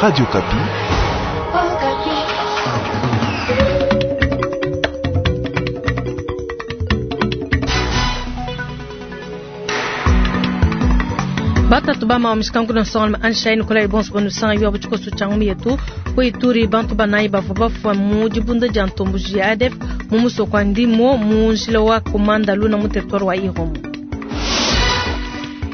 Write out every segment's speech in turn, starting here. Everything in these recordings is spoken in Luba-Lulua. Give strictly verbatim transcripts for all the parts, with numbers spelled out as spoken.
Radio Okapi. Batatu bama wa mishikangu na nsonga Anshai Nikolai bonso banu sanga yo abuchikosu changu yetu ku Ituri bantu banayi bavua bafua mu dibunda dia ntomboji ya A D F mu musoko wa Ndimo mu njila wa Komanda Luna mu territoire wa Irumu.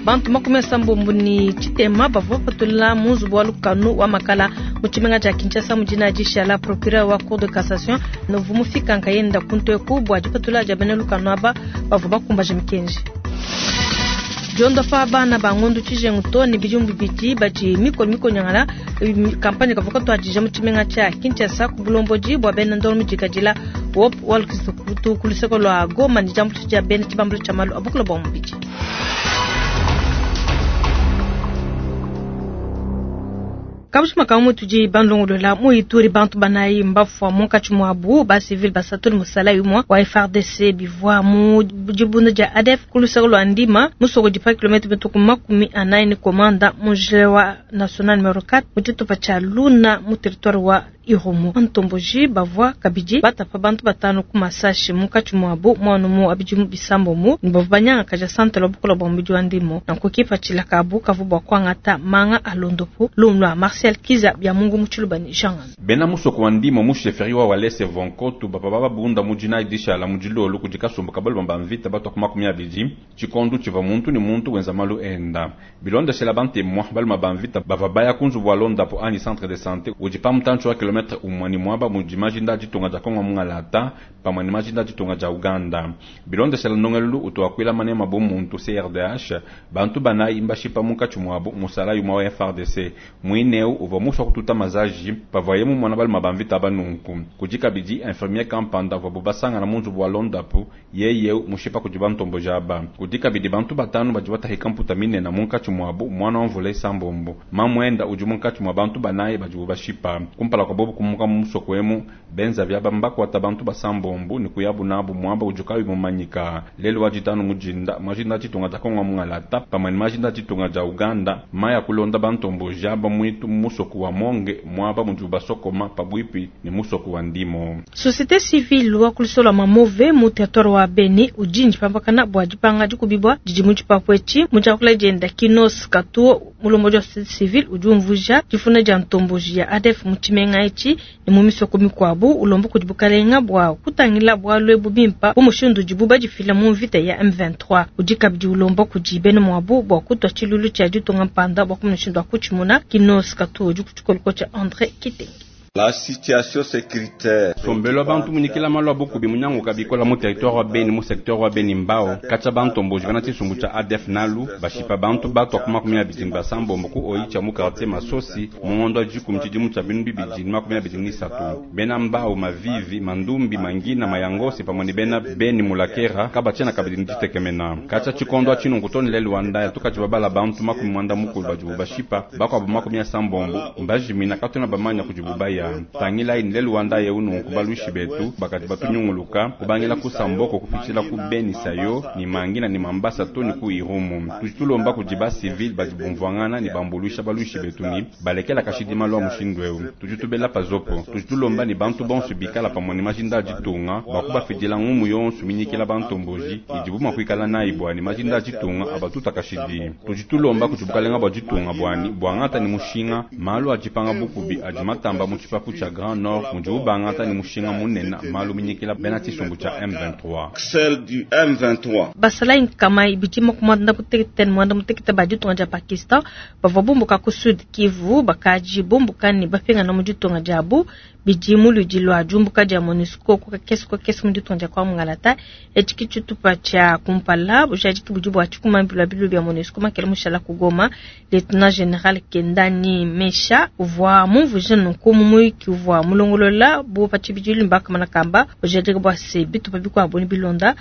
Bantu makumi asambombo ni tshitema bavua bapatula mu nzubu wa lukanu wa Makala mu tshimenga tshia Kinshasa mu dina dishala procureur wa cour de cassation novu mufika nkayenda kuntu eku bua dipatula dia bena lukanu aba bavua bakumbaje mikenji. Diondopa bana ba ngondu tshijengu to ne bidimu bibidi badi mikolo mikonyangala kampanye kavua katuadija mu tshimenga tshia Kinshasa ku bulombodi bua bena ndolo mudikadila wop walukisa ku luseko lua Goma ne diambuluisha dia bena tshibambalu tshia malu a bukula bua mubidi. Kabushima kamu tudi bandongolola mu Ituri bantu banayi mbafua munkatshi muabu ba civil basatu ne musalayi umue wa F A R D C bivua mu dibunda dia A D F ku luseke lua Ndima musoko di pa kilomètre mituku makumi anayi ne Komanda mu njila wa national numéro quatre mu tshitupa tshia Luna mu territoire wa Irumu. Ntomboji bavua kabidi batapa bantu batanu ku masashi munkatshi muabu muanu mu abidimu bisambombo ne bavua banyangakaja centre wa bukula bua mubidi wa Ndimo nanku kipatshila kabu kavua bua kuangata manga a londopu. Lumu lua Marcel Kiza bya Mungu mu Tshiluba ne Jean. Bena musoko wa Ndimo mu chefferie wa Walese Vonkotu bapa bababunda mu dina dishala mu dilolo kudi kasumbu kabalu ba mvita batwa ku makumi abidi tshikondu tshiva muntu ni muntu wenza malu enda bilondeshela bantemwa baluma ba mvita bava baya ku nzubu wa londapo anyi centre de santé udi pa mutantshi wa kilomètre umwe ni mwaba mudi majinda ditunga dia Kongo mungalata pamwe ni majinda ditunga dia Uganda. Bilondeshela ndongelulu utuakwila manema bu muntu C R D H bantu banayi mbashipa munkatshi muabu musalayi umwe wa F A R D C mwineu uvua musua kututa mazaji pavaye mumona baluma ba mvita banunku. Kudi kabidi infirmier kampanda vuabu basangana mu nzubu wa londapu yeye mushipa kudi bantomboji aba. Kudi kabidi bantu batanu badi batahika mputa minena munkatshi muabu mwana wa mvula isambombo mamwenda udi munkatshi mua bantu banayi badibu bashipa kumpala kwa bobu kumuka mu musoko emu benza vyaba mbakwata bantu basambombo ni kuyabu nabu mwaba udi kayi mumanyika. Lelo wa ditanu mujinda majinda ditunga dia Kongo mungalata pamwe ni majinda ditunga dia Uganda maya kulonda bantomboji aba mwitu mu musoko wa Monge mwaba mudi basokoma pabwipi ni musoko wa Ndimo. Société civile wa kulisola mamove mu territoire wa Beni ujinji pambakana bua dipanga dikubibwa didi mu tshipapu etshi. Mu diakula dienda Kinos Katuo mulombodi wa société civile udi umvuja difuna dia ntomboji ya A D F mu tshimenga etshi ne mu misoko mikuabu ulomba kudi bukalenga bua kutangila bualu ebu bimpa bu mushindu udibu badifila mu mvita ya M vingt-trois. Udi kabidi ulomba kudi bena muabu bua kutua tshilulu tshia ditunga mpanda bua kumushindu wa kutshimuna. Kinos Katuo udi ku tshikoloko tshia André Kitenge. La situation sécuritaire. Sombelo abantu munyikila malu abukubi munyanguka bikola mu territoire wa Beni mu secteur wa Beni Mbao katsa bantomboji bana tshisumbu tshia A D F nalu bashipa bantu batwa ku makumi abidi ni basambombo ku Oicha mu quartier Masosi mu ngondo wa dikumi tshidimu tshia binu bibidi ni makumi abidi ni isatu. Bena Mbao Mavivi Mandumbi Mangina Mayangosi pamwe ni bena Beni Mulakera kabatshiena kabidi ni ditekemena katsa tshikondo atshinunku toni lelu wa ndaya tukatshi babala bantu makumi mwanda mukulu badibu bashipa bakuabu makumi asambombo mbajimina katwena bamanya kudibu baya. Tangila ini lelu wanda ye ununku baluishi betu bakati batunyunguluka kubangila ku Samboko kupitshila ku Beni Sayo ni Mangina ni Mambasa to ni ku Irumu. Tudi tulomba kudi ba civil badi bumvuangana ni bambuluisha baluishi betu ni balekela kashidima lwa mushindu eu tudi tubela pazopo. Tudi tulomba ni bantu bonso bikala pamwe ni majinda a ditunga bakubafidila ngumu yonso minyikila bantomboji idibu mua kuikala nayi bwani majinda a ditunga abatuta kashidi. Tudi tulomba kudi bukalenga bua ditunga bwani bwangata ni mushinga malu adipanga bukubi adi matamba mu tshipapu tshia Grand Nord mudi ubangata ni mushinga munene malu minyikila bena tshisumbu tshia M vingt-trois. Celle du M vingt-trois. Basalayi nkama ibidi makumi muanda mutekete ne muanda mutekete ba ditunga dia Pakistan bavua bumbuka ku Sud Kivu bakaji bumbuka ne bapingana mu ditunga diabu bidi mu ludi lua diumbuka dia MONUSCO ku kakese ku kakese mu ditunga dia kwa mungalata. Etshi ki tshitupa tshia kumpala bujadiki budi bua tshikumambilwa bilu bia MONUSCO makele mushala ku Goma. Lieutenant général Kendani Mesha uvua mumvuije nunku mu muyuki uvua mulongolola bu pa tshibidilu mbakamana kamba bujadiki bua se bitupa bikuabu ne bilonda.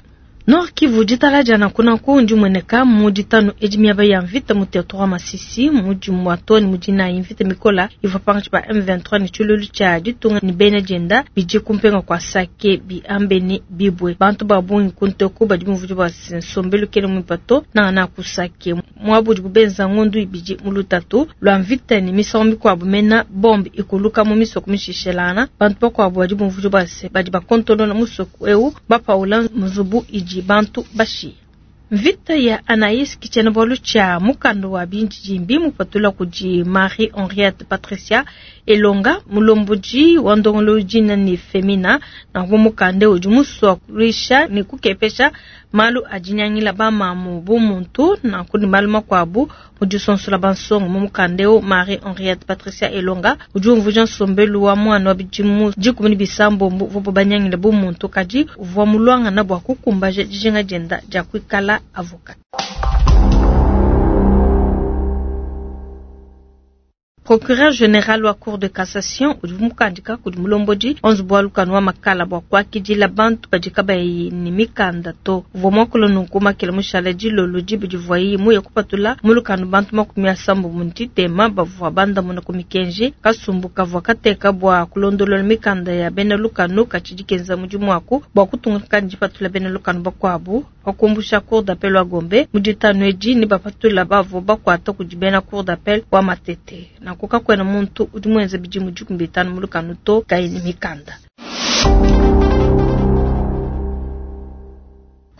Nord Kivu ditala nanku ndimueneka mu ditanu edi miaba ya mvita mu territoire Masisi mudimu wa toni mudinayi mvita mikola ivua pankatshi pa M vingt-trois ne tshilulu tshia ditunga ne bena dienda bidi kumpenga kwa Sake biambe ne bibwe bantu ba bungi kunteku badi bumvua bua nsombelu kele muipato nangana ku Sake muabu bubenza ngondu ibidi mu lutatu lwa mvita ne misango mikuabu mena bombe ikuluka mu misoko mishishelana bantu bakuabu badi bumvua bua badi bakontolola musoko eu bapaula nzubu idi bantu bashi. Mvita ya Anaïs kichena bolu cha mukando wa binji jimbi mupatula kudi Marie Henriette Patricia Elonga mulomboji wa ndongolo jina ni Femina na mukande udi muswa kulisha ni kukepesha malu ajinyangila ba mamu bu muntu na kuni malu makwabu mudisonsola bansongo mu mukande o Marie Henriette Patricia Elonga udi umvuja nsombelu wa mwana wa bidimu dikumi ne bisambo vubo banyangila bu muntu kadi uvua mulwanga na bwa kukumbaja dijinga dienda dia kuikala avocat. Procureur général wa Cour de cassation udi mukandika kudi mulombodi onze bwa lukanu wa makala bwa kwakidila bantu badi kabayi ni mikanda to uvua muakula nunku makela mushala dilolo dibi divuayi muye kupatula mulukanu bantu makumi asambo mu ntitema bavua bandamuna ku mikenji kasumbu kavua kateka bwa kulondolola mikanda ya bena lukanu katshidi kenza mudimu waku bwa kutunga kandi patula bena lukanu bakuabu bakumbusha Cour d'appel wa Gombe mu ditanu edi ne bapatula bavua bakuata kudi bena Cour d'appel wa Matete na kukakwena muntu udi muenze bidimu dikumi bitanu mu lukanu to kayi ne mikanda.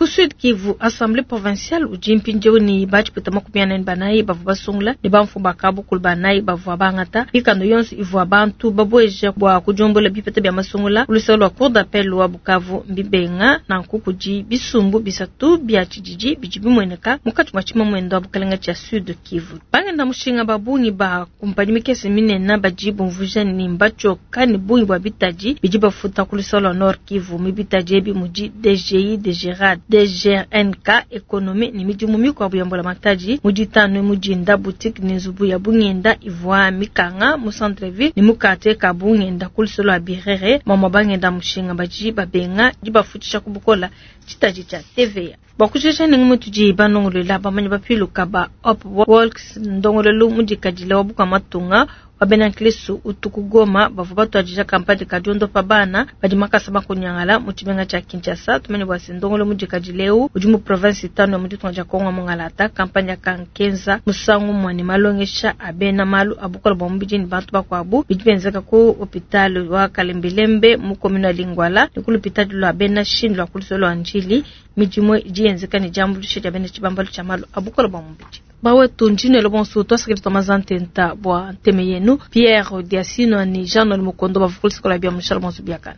Ku Sud Kivu, Assemblée provinciale udi mpindieu ne batshipeta makumi ane ne banayi bavua basungula ne bamfumu ba kabukulu banayi bavua bangata mikanda yonso ivua bantu babueja bua kudiombola bipeta bia masungula luseke lua Cour d'appel wa Bukavu mbibenga nanku kudi bisumbu bisatu bia tshididi bidi bimueneka mukatshi mua tshimamwendo wa bukalenga tshia Sud Kivu. Bangenda mushinga ba bungi ba kumpanyi mikese minene badi bumvuja ne mbatshioka ne bungi bua bitadi bidi bafuta ku luseke lua Nord Kivu mu bitadi ebi mudi D G I, D G R A D, D G R N K, économie ni midimu mikuabu ya mbola matadi muditanu mudinda boutique ni nzubu ya bungenda ivua mikanga mu centre-ville ni mukate ka bungenda ku luseke lua Birere mama bangenda mushinga badi babenga dibafutisha kubukola tshitadi tshia T V A. Bakushesha ningi mutudi banongolola bamanyi bapiluka ba Hope Walks ndongololo mudikadile wa buka matunga wa bena nkristu utuku Goma bavua batuadija kampani ka diondopa bana badi makasa makunyangala mu tshimenga tshia Kinshasa tumene bua se ndongolo mudikadile eu udi mu province itanu ya mu ditunga dia Kongo Mongalata kampani ya kankenza musangu mwani malongesha a bena malu a bukola bua mubidi ne bantu bakuabu bidi benzeka ku hôpital wa Kalembelembe mu commune ya Lingwala ne ku l'hôpital lua bena Chine lua ku luseke lua Ndjili midimu idi yenzeka ne diambuluisha dia bena tshibambalu tshia malu a bukola bua mubidi. Bawe tunjine lo bonso twasakile twamazantenta bwa nteme yenu Pierre Diasino ni Jean Noël Mukondo bavukulu sikola bia mushalo bonso biakana.